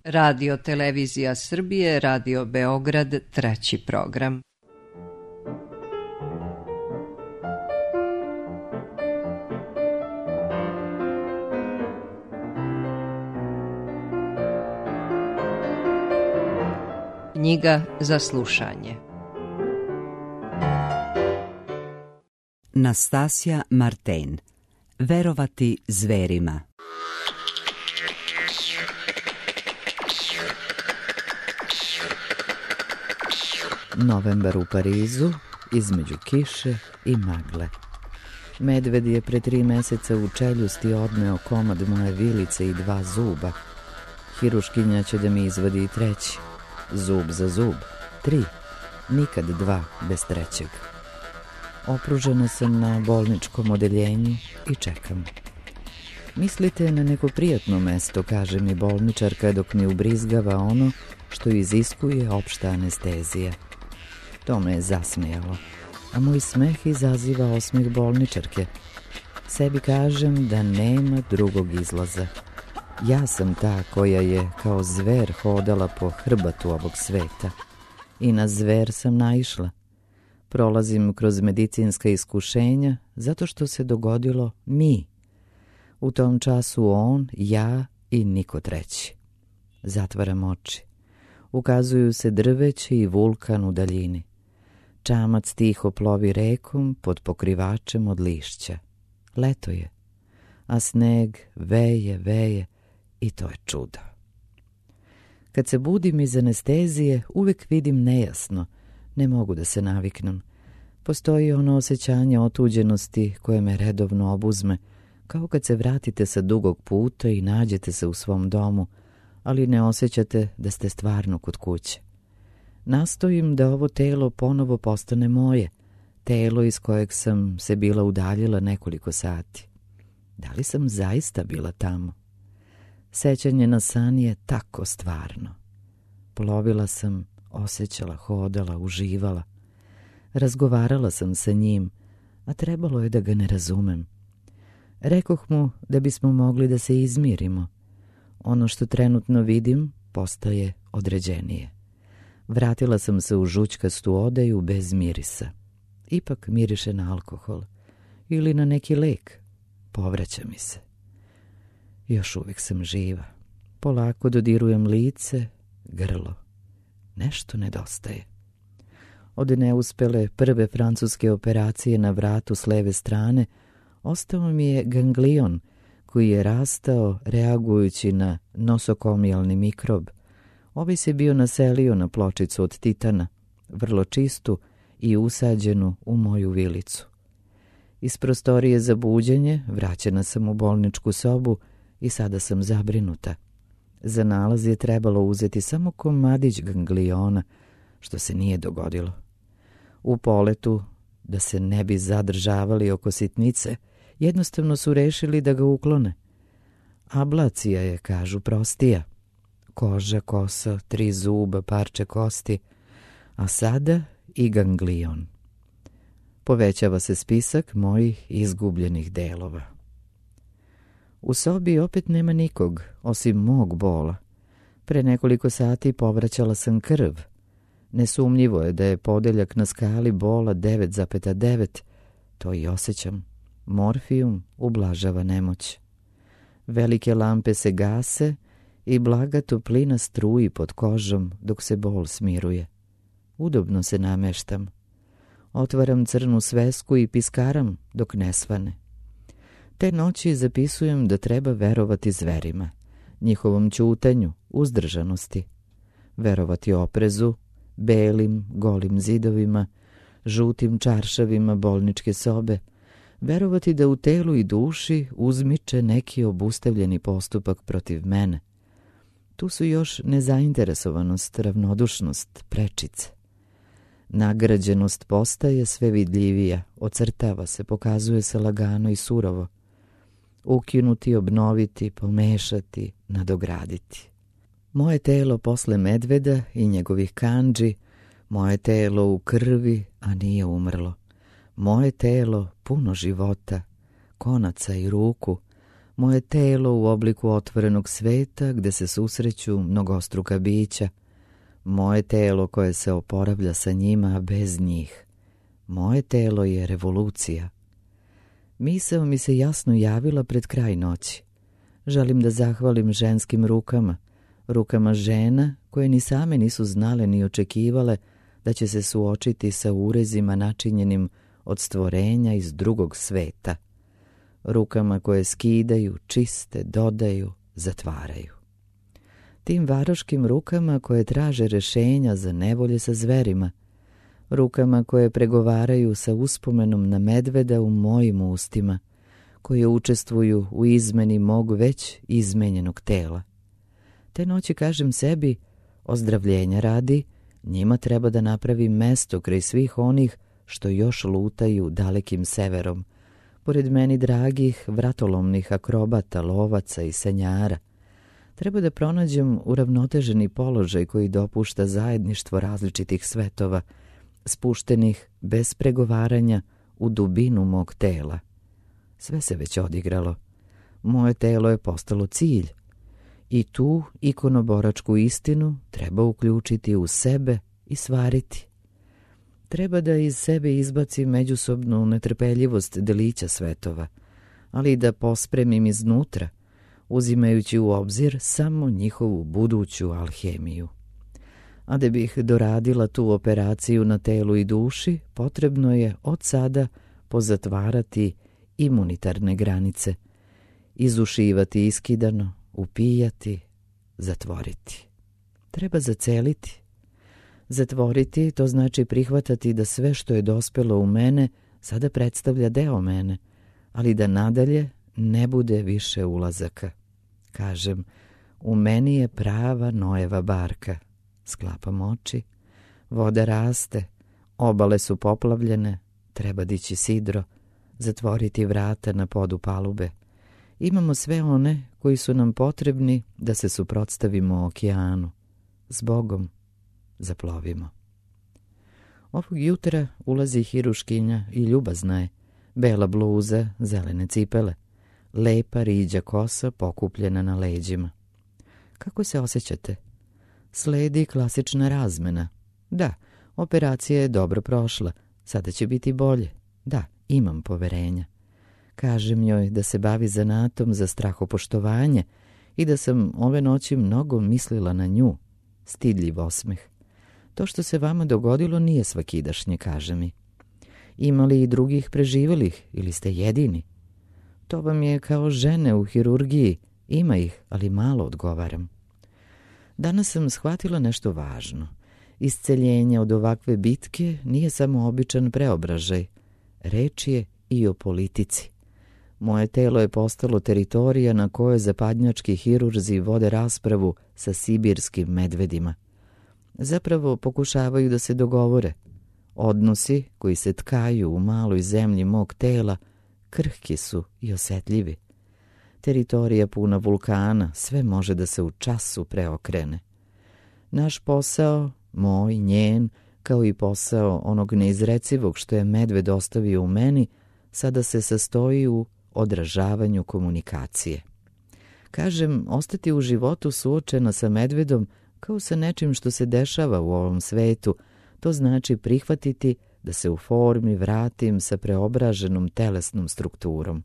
Radio Televizija Srbije, Radio Beograd, treći program. Knjiga za slušanje. Nastasja Marten. Verovati zverima. Novembar u Parizu, između kiše i magle. Medved je pre 3 meseca u čeljusti odneo komad moje vilice i 2 zuba. Hiruškinja će da mi izvadi i 3. Zub za zub, 3. Nikad 2 bez 3. Opružena sam na bolničkom odeljenju i čekam. Mislite na neko prijatno mesto, kaže mi bolničarka dok mi ubrizgava ono što iziskuje opšta anestezija. To me je zasmijalo, a moj smeh izaziva osmeh bolničarke. Sebi kažem da nema drugog izlaza. Ja sam ta koja je kao zver hodala po hrbatu ovog sveta. I na zver sam naišla. Prolazim kroz medicinska iskušenja zato što se dogodilo mi. U tom času on, ja i niko treći. Zatvaram oči. Ukazuju se drveće i vulkan u daljini. Čamac tiho plovi rekom pod pokrivačem od lišća. Leto je, a sneg veje i to je čudo. Kad se budim iz anestezije, uvek vidim nejasno. Ne mogu da se naviknem. Postoji ono osjećanje otuđenosti koje me redovno obuzme, kao kad se vratite sa dugog puta i nađete se u svom domu, ali ne osjećate da ste stvarno kod kuće. Nastojim da ovo telo ponovo postane moje, telo iz kojeg sam se bila udaljila nekoliko sati. Da li sam zaista bila tamo? Sećanje na san je tako stvarno. Plovila sam, osjećala, hodala, uživala. Razgovarala sam sa njim, a trebalo je da ga ne razumem. Rekoh mu da bismo mogli da se izmirimo. Ono što trenutno vidim postaje određenije. Vratila sam se u žućkastu odeju bez mirisa. Ipak miriše na alkohol ili na neki lek. Povraća mi se. Još uvijek sam živa. Polako dodirujem lice, grlo. Nešto nedostaje. Od neuspele prve francuske operacije na vratu s leve strane ostao mi je ganglion koji je rastao reagujući na nosokomijalni mikrob. Ovaj se bio naselio na pločicu od titana, vrlo čistu i usađenu u moju vilicu. Iz prostorije za buđenje vraćena sam u bolničku sobu i sada sam zabrinuta. Za nalaz je trebalo uzeti samo komadić gangliona, što se nije dogodilo. U poletu, da se ne bi zadržavali oko sitnice, jednostavno su rešili da ga uklone. Ablacija je, kažu, prostija. Koža, kosa, 3 zuba, parče kosti, a sada i ganglion. Povećava se spisak mojih izgubljenih delova. U sobi opet nema nikog, osim mog bola. Pre nekoliko sati povraćala sam krv. Nesumnjivo je da je podeljak na skali bola 9,9. To i osjećam. Morfijum ublažava nemoć. Velike lampe se gase i blaga toplina struji pod kožom dok se bol smiruje. Udobno se nameštam. Otvaram crnu svesku i piskaram dok ne svane. Te noći zapisujem da treba verovati zverima, njihovom ćutanju, uzdržanosti. Verovati oprezu, belim, golim zidovima, žutim čaršavima bolničke sobe. Verovati da u telu i duši uzmiče neki obustavljeni postupak protiv mene. Tu su još nezainteresovanost, ravnodušnost, prečice. Nagrađenost postaje sve vidljivija, ocrtava se, pokazuje se lagano i surovo. Ukinuti, obnoviti, pomešati, nadograditi. Moje telo posle medveda i njegovih kandži, moje telo u krvi, a nije umrlo. Moje telo puno života, konaca i ruku, moje telo u obliku otvorenog sveta gde se susreću mnogostruka bića, moje telo koje se oporavlja sa njima, a bez njih. Moje telo je revolucija. Misao mi se jasno javila pred kraj noći. Želim da zahvalim ženskim rukama, rukama žena koje ni same nisu znale ni očekivale da će se suočiti sa urezima načinjenim od stvorenja iz drugog sveta. Rukama koje skidaju, čiste, dodaju, zatvaraju. Tim varoškim rukama koje traže rešenja za nevolje sa zverima, rukama koje pregovaraju sa uspomenom na medveda u mojim ustima, koje učestvuju u izmeni mog već izmenjenog tela. Te noći kažem sebi, ozdravljenja radi, njima treba da napravim mesto kraj svih onih što još lutaju dalekim severom, pored meni dragih vratolomnih akrobata, lovaca i sanjara. Treba da pronađem uravnoteženi položaj koji dopušta zajedništvo različitih svetova, spuštenih bez pregovaranja u dubinu mog tela. Sve se već odigralo. Moje telo je postalo cilj. I tu ikonoboračku istinu treba uključiti u sebe i stvariti. Treba da iz sebe izbacim međusobnu netrpeljivost delića svetova, ali i da pospremim iznutra, uzimajući u obzir samo njihovu buduću alhemiju. A da bih doradila tu operaciju na telu i duši, potrebno je od sada pozatvarati imunitarne granice, izušivati iskidano, upijati, zatvoriti. Treba zaceliti. Zatvoriti to znači prihvatati da sve što je dospelo u mene sada predstavlja deo mene, ali da nadalje ne bude više ulazaka. Kažem, u meni je prava Noeva barka. Sklapam oči, voda raste, obale su poplavljene, treba dići sidro, zatvoriti vrata na podu palube. Imamo sve one koji su nam potrebni da se suprotstavimo okeanu. S Bogom zaplovimo. Ovog jutra ulazi hiruškinja i ljubazna je, bela bluza, zelene cipele, lepa riđa kosa pokupljena na leđima. Kako se osjećate? Sledi klasična razmena. Da, operacija je dobro prošla, sada će biti bolje. Da, imam poverenja. Kažem njoj da se bavi zanatom za strahopoštovanje i da sam ove noći mnogo mislila na nju. Stidljiv osmeh. To što se vama dogodilo nije svakidašnje, kaže mi. Ima li i drugih preživelih ili ste jedini? To vam je kao žene u hirurgiji. Ima ih, ali malo, odgovaram. Danas sam shvatila nešto važno. Isceljenje od ovakve bitke nije samo običan preobražaj. Reč je i o politici. Moje telo je postalo teritorija na kojoj zapadnjački hirurzi vode raspravu sa sibirskim medvedima. Zapravo pokušavaju da se dogovore. Odnosi koji se tkaju u maloj zemlji mog tela krhki su i osetljivi. Teritorija puna vulkana, sve može da se u času preokrene. Naš posao, moj, njen, kao i posao onog neizrecivog što je medved ostavio u meni, sada se sastoji u odražavanju komunikacije. Kažem, ostati u životu suočena sa medvedom kao sa nečim što se dešava u ovom svetu, to znači prihvatiti da se u formi vratim sa preobraženom telesnom strukturom.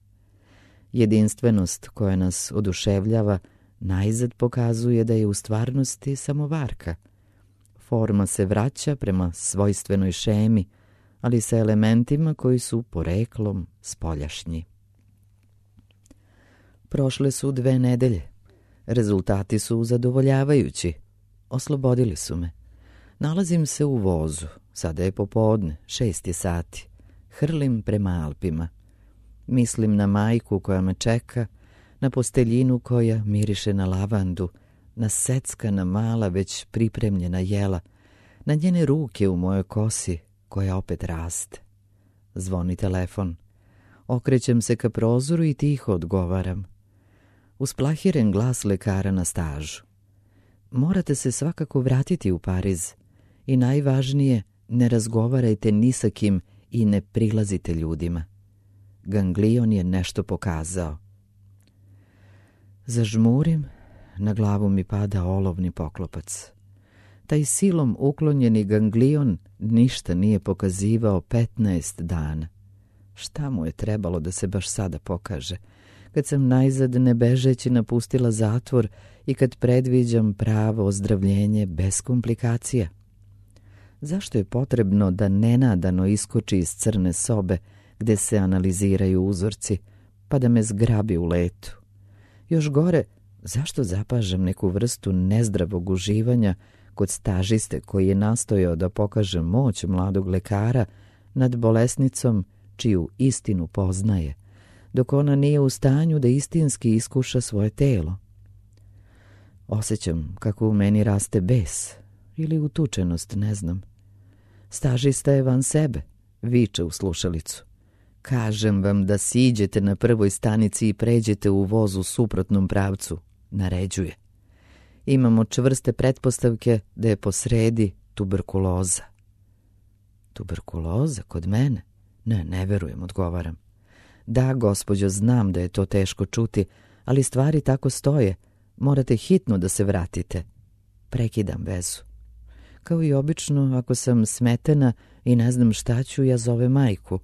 Jedinstvenost koja nas oduševljava najzad pokazuje da je u stvarnosti samo varka. Forma se vraća prema svojstvenoj šemi, ali sa elementima koji su poreklom spoljašnji. Prošle su 2 nedelje. Rezultati su zadovoljavajući. Oslobodili su me. Nalazim se u vozu. Sada je popodne, 6 sati. Hrlim prema Alpima. Mislim na majku koja me čeka, na posteljinu koja miriše na lavandu, na seckana mala već pripremljena jela, na njene ruke u mojoj kosi koja opet raste. Zvoni telefon. Okrećem se ka prozoru i tiho odgovaram. Usplahiren glas lekara na stažu. Morate se svakako vratiti u Pariz. I najvažnije, ne razgovarajte ni sa kim i ne prilazite ljudima. Ganglion je nešto pokazao. Zažmurim, na glavu mi pada olovni poklopac. Taj silom uklonjeni ganglion ništa nije pokazivao 15 dana. Šta mu je trebalo da se baš sada pokaže, kad sam najzad ne bežeći napustila zatvor i kad predviđam pravo ozdravljenje bez komplikacija? Zašto je potrebno da nenadano iskoči iz crne sobe gde se analiziraju uzorci, pa da me zgrabi u letu? Još gore, zašto zapažam neku vrstu nezdravog uživanja kod stažiste koji je nastojao da pokaže moć mladog lekara nad bolesnicom čiju istinu poznaje, dok ona nije u stanju da istinski iskuša svoje telo? Osjećam kako u meni raste bes ili utučenost, ne znam. Stažista je van sebe, viče u slušalicu. Kažem vam da siđete na prvoj stanici i pređete u voz u suprotnom pravcu, naređuje. Imamo čvrste pretpostavke da je posredi tuberkuloza. Tuberkuloza kod mene? Ne verujem, odgovaram. Da, gospođo, znam da je to teško čuti, ali stvari tako stoje. Morate hitno da se vratite. Prekidam vezu. Kao i obično, ako sam smetena i ne znam šta ću, ja zovem majku,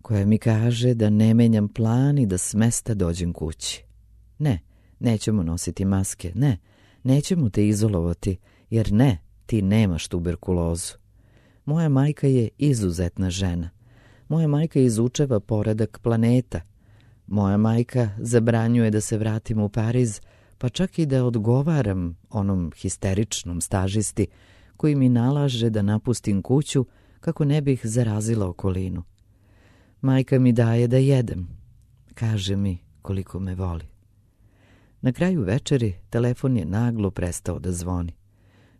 koja mi kaže da ne menjam plan i da s mesta dođem kući. Ne, nećemo nositi maske, ne, nećemo te izolovati, jer ne, ti nemaš tuberkulozu. Moja majka je izuzetna žena. Moja majka izučava poredak planeta. Moja majka zabranjuje da se vratim u Pariz, pa čak i da odgovaram onom histeričnom stažisti koji mi nalaže da napustim kuću kako ne bih zarazila okolinu. Majka mi daje da jedem. Kaže mi koliko me voli. Na kraju večeri telefon je naglo prestao da zvoni.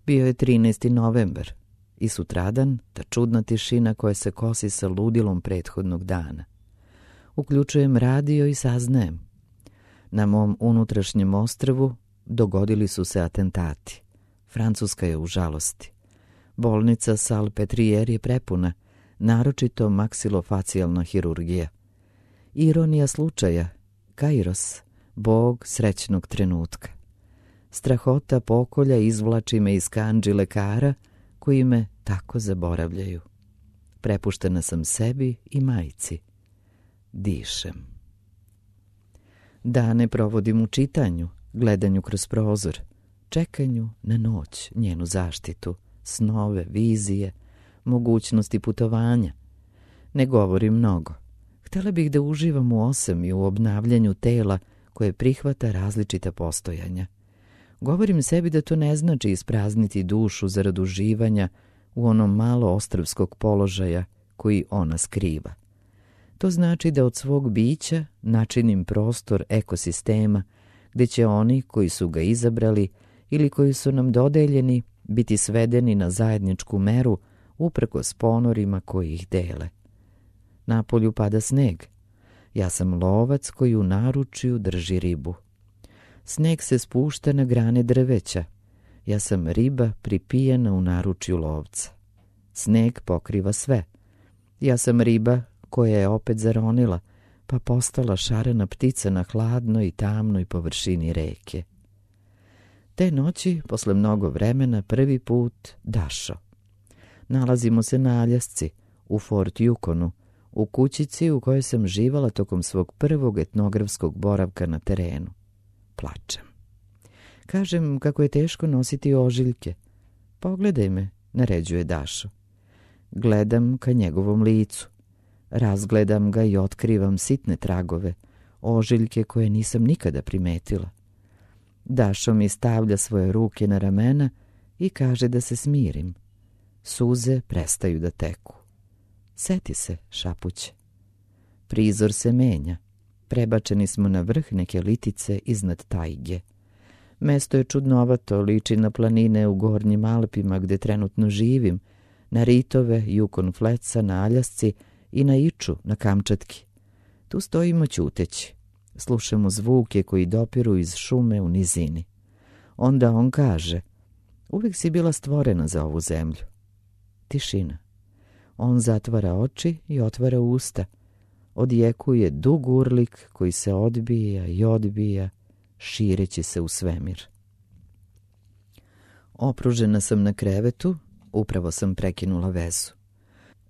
Bio je 13. novembar i sutradan ta čudna tišina koja se kosi sa ludilom prethodnog dana. Uključujem radio i saznajem. Na mom unutrašnjem ostrvu dogodili su se atentati. Francuska je u žalosti. Bolnica Salpetriere je prepuna, naročito maksilofacijalna hirurgija. Ironija slučaja, Kairos, bog srećnog trenutka. Strahota pokolja izvlači me iz kandži lekara koji me tako zaboravljaju. Prepuštena sam sebi i majci. Dišem. Dane provodim u čitanju, gledanju kroz prozor, čekanju na noć, njenu zaštitu, snove, vizije, mogućnosti putovanja. Ne govorim mnogo. Htjela bih da uživam u osam i u obnavljanju tela koje prihvata različita postojanja. Govorim sebi da to ne znači isprazniti dušu zarad uživanja u onom malo ostrvskog položaja koji ona skriva. To znači da od svog bića načinim prostor ekosistema gdje će oni koji su ga izabrali ili koji su nam dodeljeni biti svedeni na zajedničku meru uprkos ponorima koji ih dele. Napolju pada sneg. Ja sam lovac koji u naručju drži ribu. Sneg se spušta na grane drveća. Ja sam riba pripijena u naručju lovca. Sneg pokriva sve. Ja sam riba koja je opet zaronila, pa postala šarena ptica na hladnoj i tamnoj površini reke. Te noći, posle mnogo vremena, prvi put Dašo. Nalazimo se na Aljasci, u Fort Yukonu, u kućici u kojoj sam živala tokom svog prvog etnografskog boravka na terenu. Plačem. Kažem kako je teško nositi ožiljke. Pogledaj me, naređuje Dašo. Gledam ka njegovom licu. Razgledam ga i otkrivam sitne tragove, ožiljke koje nisam nikada primetila. Dašo mi stavlja svoje ruke na ramena i kaže da se smirim. Suze prestaju da teku. Seti se, šapuće. Prizor se menja. Prebačeni smo na vrh neke litice iznad tajge. Mesto je čudnovato, liči na planine u Gornjim Alpima gde trenutno živim, na ritove Yukon Flatsa na Aljasci i na Iču na Kamčatki. Tu stojimo ćuteći. Slušamo zvuke koji dopiru iz šume u nizini. Onda on kaže, uvijek si bila stvorena za ovu zemlju. Tišina. On zatvara oči i otvara usta. Odjekuje dug urlik koji se odbija i odbija, šireći se u svemir. Opružena sam na krevetu, upravo sam prekinula vezu.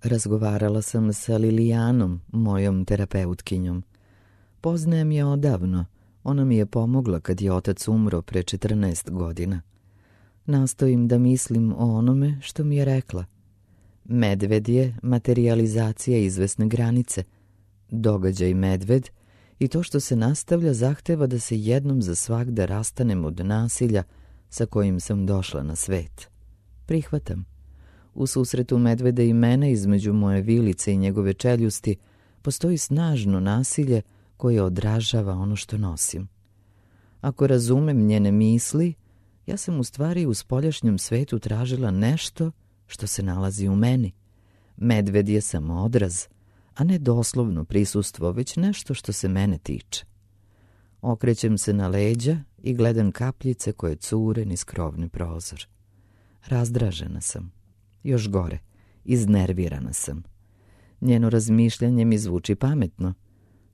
Razgovarala sam sa Lilijanom, mojom terapeutkinjom. Poznajem je odavno, ona mi je pomogla kad je otac umro pre 14 godina. Nastojim da mislim o onome što mi je rekla. Medved je materijalizacija izvesne granice. Događaj medved i to što se nastavlja zahteva da se jednom za svagda rastanem od nasilja sa kojim sam došla na svet. Prihvatam. U susretu medveda i mene između moje vilice i njegove čeljusti postoji snažno nasilje koje odražava ono što nosim. Ako razumem njene misli, ja sam u stvari u spoljašnjem svetu tražila nešto što se nalazi u meni. Medved je samo odraz, a ne doslovno prisustvo, već nešto što se mene tiče. Okrećem se na leđa i gledam kapljice koje cure niz krovni prozor. Razdražena sam. Još gore, iznervirana sam. Njeno razmišljanje mi zvuči pametno.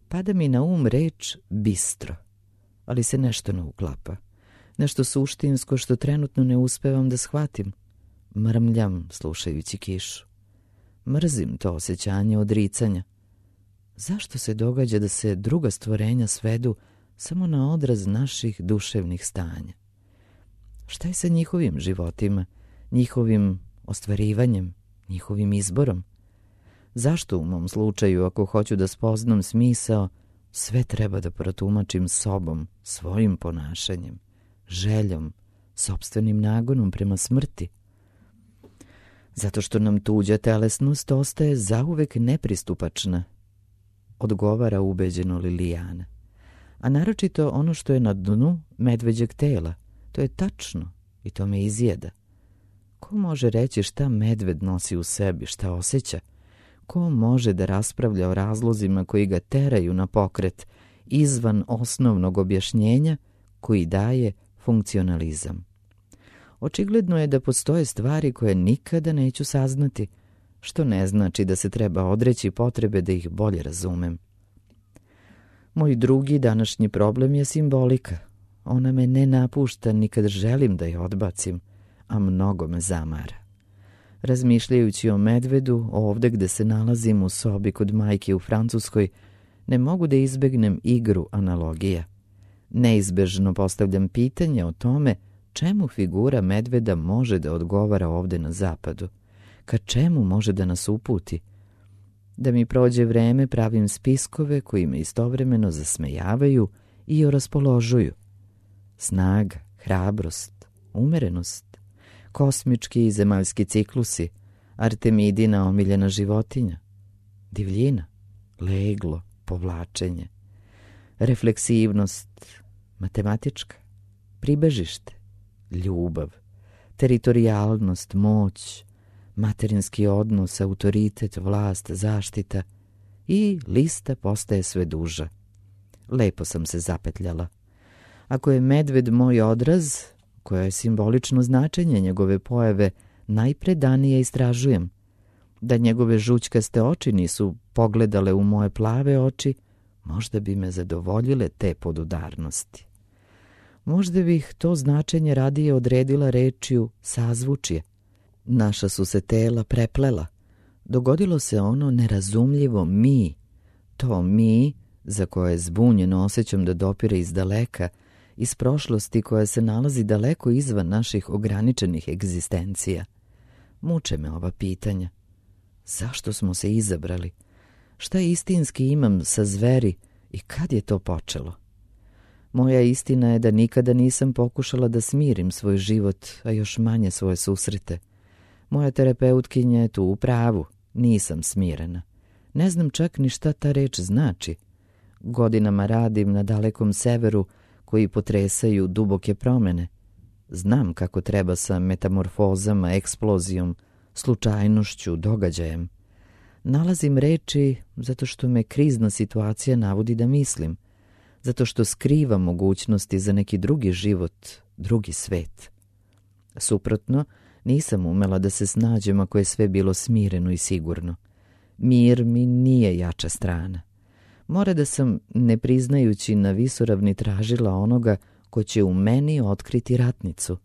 Pada mi na um reč bistro, ali se nešto ne uklapa. Nešto suštinsko što trenutno ne uspevam da shvatim. Mrmljam slušajući kišu. Mrzim to osjećanje odricanja. Zašto se događa da se druga stvorenja svedu samo na odraz naših duševnih stanja? Šta je sa njihovim životima, njihovim ostvarivanjem, njihovim izborom? Zašto u mom slučaju, ako hoću da spoznam smisao, sve treba da protumačim sobom, svojim ponašanjem, željom, sopstvenim nagonom prema smrti? Zato što nam tuđa telesnost ostaje zauvek nepristupačna, odgovara ubeđeno Lilijana. A naročito ono što je na dnu medveđeg tela, to je tačno i to me izjeda. Ko može reći šta medved nosi u sebi, šta osjeća? Ko može da raspravlja o razlozima koji ga teraju na pokret izvan osnovnog objašnjenja koji daje funkcionalizam? Očigledno je da postoje stvari koje nikada neću saznati, što ne znači da se treba odreći potrebe da ih bolje razumem. Moj drugi današnji problem je simbolika. Ona me ne napušta ni kad želim da je odbacim, a mnogo me zamara. Razmišljajući o medvedu, ovde gde se nalazim u sobi kod majke u Francuskoj, ne mogu da izbegnem igru analogija. Neizbežno postavljam pitanje o tome čemu figura medveda može da odgovara ovde na zapadu, ka čemu može da nas uputi. Da mi prođe vreme, pravim spiskove koji me istovremeno zasmejavaju i oraspoložuju. Snaga, hrabrost, umerenost, kosmički i zemaljski ciklusi, Artemidina omiljena životinja, divljina, leglo, povlačenje, refleksivnost, matematička, pribežište, ljubav, teritorijalnost, moć, materinski odnos, autoritet, vlast, zaštita i lista postaje sve duža. Lepo sam se zapetljala. Ako je medved moj odraz, koje je simbolično značenje njegove pojave, najpredanije istražujem. Da njegove žućkaste oči nisu pogledale u moje plave oči, možda bi me zadovoljile te podudarnosti. Možda bih to značenje radije odredila rečju sazvučje. Naša su se tela preplela. Dogodilo se ono nerazumljivo mi. To mi, za koje zbunjeno osjećam da dopire iz daleka, iz prošlosti koja se nalazi daleko izvan naših ograničenih egzistencija. Muče me ova pitanja. Zašto smo se izabrali? Šta istinski imam sa zveri i kad je to počelo? Moja istina je da nikada nisam pokušala da smirim svoj život, a još manje svoje susrete. Moja terapeutkinja je tu u pravu, nisam smirena. Ne znam čak ni šta ta reč znači. Godinama radim na dalekom severu koji potresaju duboke promene. Znam kako treba sa metamorfozama, eksplozijom, slučajnošću, događajem. Nalazim reči zato što me krizna situacija navodi da mislim, zato što skriva mogućnosti za neki drugi život, drugi svet. Suprotno, nisam umela da se snađem ako je sve bilo smireno i sigurno. Mir mi nije jača strana. Mora da sam, ne priznajući na visoravni, tražila onoga ko će u meni otkriti ratnicu.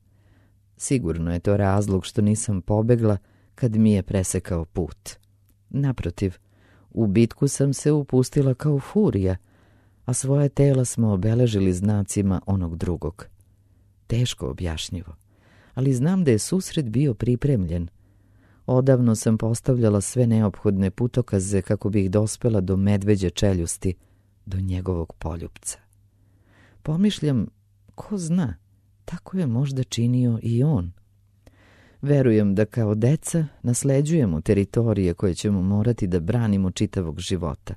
Sigurno je to razlog što nisam pobegla kad mi je presekao put. Naprotiv, u bitku sam se upustila kao furija, a svoje tela smo obeležili znacima onog drugog. Teško objašnjivo, ali znam da je susret bio pripremljen. Odavno sam postavljala sve neophodne putokaze kako bih dospela do medveđe čeljusti, do njegovog poljupca. Pomišljam, ko zna, tako je možda činio i on. Verujem da kao deca nasleđujemo teritorije koje ćemo morati da branimo čitavog života.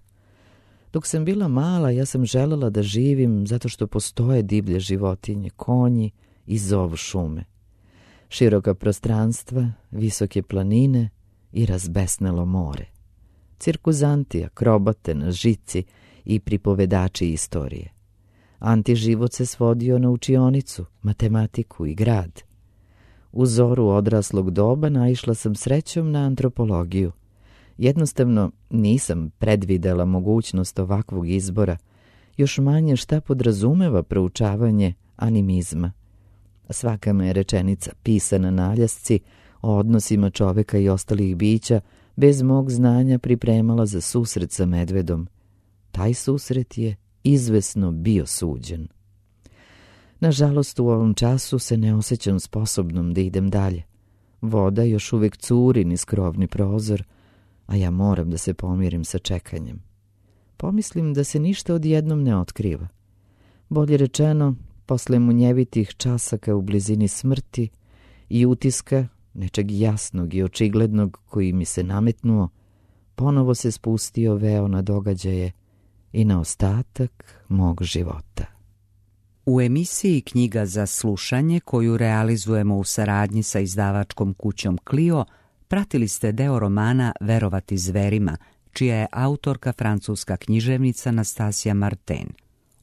Dok sam bila mala, ja sam želela da živim zato što postoje divlje životinje, konji i zov šume. Široka prostranstva, visoke planine i razbesnelo more. Cirkuzanti, akrobate na žici i pripovedači istorije. Antiživot se svodio na učionicu, matematiku i grad. U zoru odraslog doba naišla sam srećom na antropologiju. Jednostavno nisam predvidela mogućnost ovakvog izbora, još manje šta podrazumeva proučavanje animizma. Svaka me je rečenica pisana na aljasci o odnosima čoveka i ostalih bića bez mog znanja pripremala za susret sa medvedom. Taj susret je izvesno bio suđen. Nažalost, u ovom času se ne osjećam sposobnom da idem dalje. Voda još uvijek curi niz krovni prozor, a ja moram da se pomirim sa čekanjem. Pomislim da se ništa odjednom ne otkriva. Bolje rečeno, posle munjevitih časaka u blizini smrti i utiska nečeg jasnog i očiglednog koji mi se nametnuo, ponovo se spustio veo na događaje i na ostatak mog života. U emisiji Knjiga za slušanje, koju realizujemo u saradnji sa izdavačkom kućom Clio, pratili ste deo romana Verovati zverima, čija je autorka francuska književnica Nastasija Martin.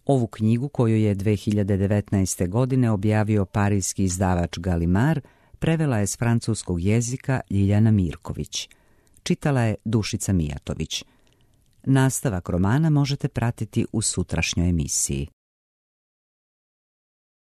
Ovu knjigu, koju je 2019. godine objavio parijski izdavač Gallimard, prevela je s francuskog jezika Ljiljana Mirković. Čitala je Dušica Mijatović. Nastavak romana možete pratiti u sutrašnjoj emisiji.